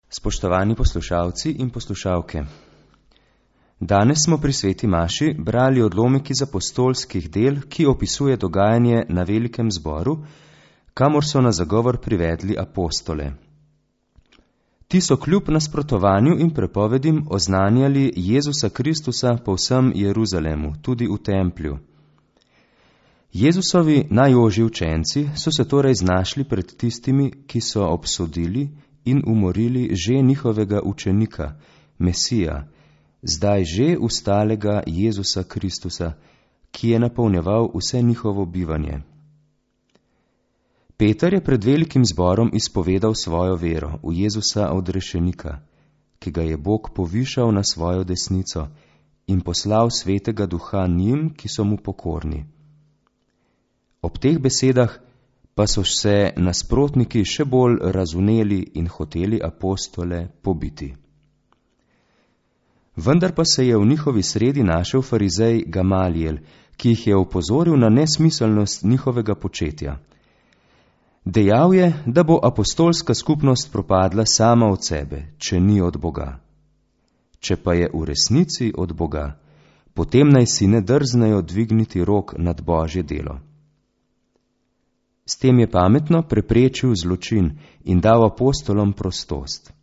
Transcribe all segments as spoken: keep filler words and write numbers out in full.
Spoštovani poslušalci in poslušalke, danes smo pri sveti maši brali odlomek iz apostolskih del, ki opisuje dogajanje na velikem zboru, kamor so na zagovor privedli apostole. Ti so kljub nasprotovanju in prepovedim oznanjali Jezusa Kristusa po vsem Jeruzalemu, tudi v templju. Jezusovi najožji učenci so se torej znašli pred tistimi, ki so obsodili in umorili že njihovega učenika, Mesija, zdaj že ustalega Jezusa Kristusa, ki je napolnjeval vse njihovo bivanje. Peter je pred velikim zborom izpovedal svojo vero v Jezusa odrešenika, ki ga je Bog povišal na svojo desnico in poslal svetega duha njim, ki so mu pokorni. Ob teh besedah pa so se nasprotniki še bolj razvneli in hoteli apostole pobiti. Vendar pa se je v njihovi sredi našel farizej Gamalijel, ki jih je opozoril na nesmiselnost njihovega početja. Dejal je, da bo apostolska skupnost propadla sama od sebe, če ni od Boga. Če pa je v resnici od Boga, potem naj si ne drznejo dvigniti rok nad Božje delo. S tem je pametno preprečil zločin in dal apostolom prostost.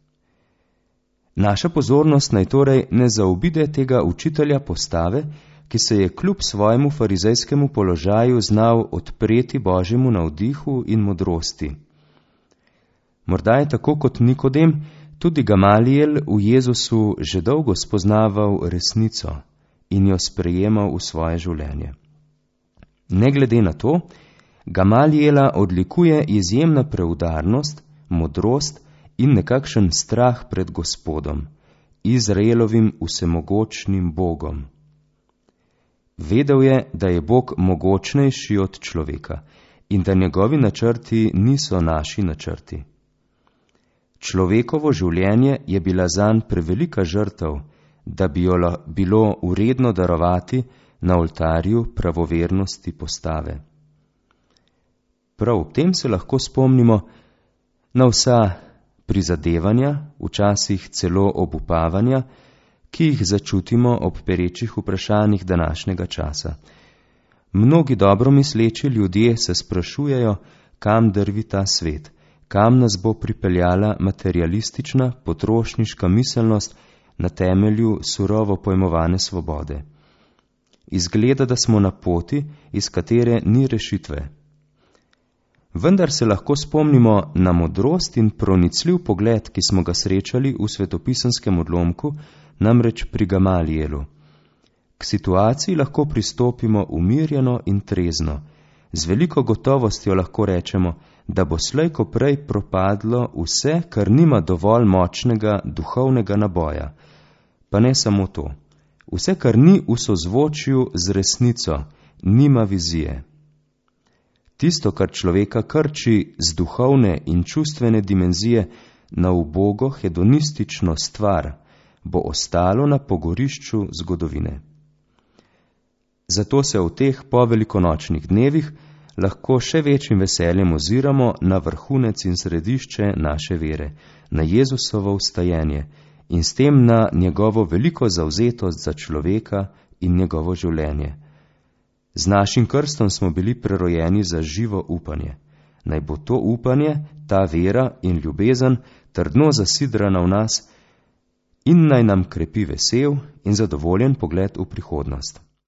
Naša pozornost naj torej ne zaobide tega učitelja postave, ki se je kljub svojemu farizejskemu položaju znal odpreti Božjemu navdihu in modrosti. Morda je tako kot Nikodem, tudi Gamalijel v Jezusu že dolgo spoznaval resnico in jo sprejemal v svoje življenje. Ne glede na to, Gamalijela odlikuje izjemna preudarnost, modrost in nekakšen strah pred Gospodom, Izraelovim vsemogočnim Bogom. Vedel je, da je Bog mogočnejši od človeka in da njegovi načrti niso naši načrti. Človekovo življenje je bila zanj prevelika žrtev, da bi jo bilo vredno darovati na oltarju pravovernosti postave. Prav ob tem se lahko spomnimo na vsa prizadevanja, včasih celo obupavanja, ki jih začutimo ob perečih vprašanjih današnjega časa. Mnogi dobro misleči ljudje se sprašujejo, kam drvi ta svet, kam nas bo pripeljala materialistična, potrošniška miselnost na temelju surovo pojmovane svobode. Izgleda, da smo na poti, iz katere ni rešitve. Vendar se lahko spomnimo na modrost in pronicljiv pogled, ki smo ga srečali v svetopisenskem odlomku, namreč pri Gamalijelu. K situaciji lahko pristopimo umirjeno in trezno. Z veliko gotovostjo lahko rečemo, da bo slej ko prej propadlo vse, kar nima dovolj močnega duhovnega naboja. Pa ne samo to. Vse, kar ni v sozvočju z resnico, nima vizije. Tisto, kar človeka krči z duhovne in čustvene dimenzije na ubogo hedonistično stvar, bo ostalo na pogorišču zgodovine. Zato se v teh povelikonočnih dnevih lahko še večjim veseljem oziramo na vrhunec in središče naše vere, na Jezusovo vstajenje in s tem na njegovo veliko zavzetost za človeka in njegovo življenje. Z našim krstom smo bili prerojeni za živo upanje. Naj bo to upanje, ta vera in ljubezen trdno zasidrana v nas in naj nam krepi vesel in zadovoljen pogled v prihodnost.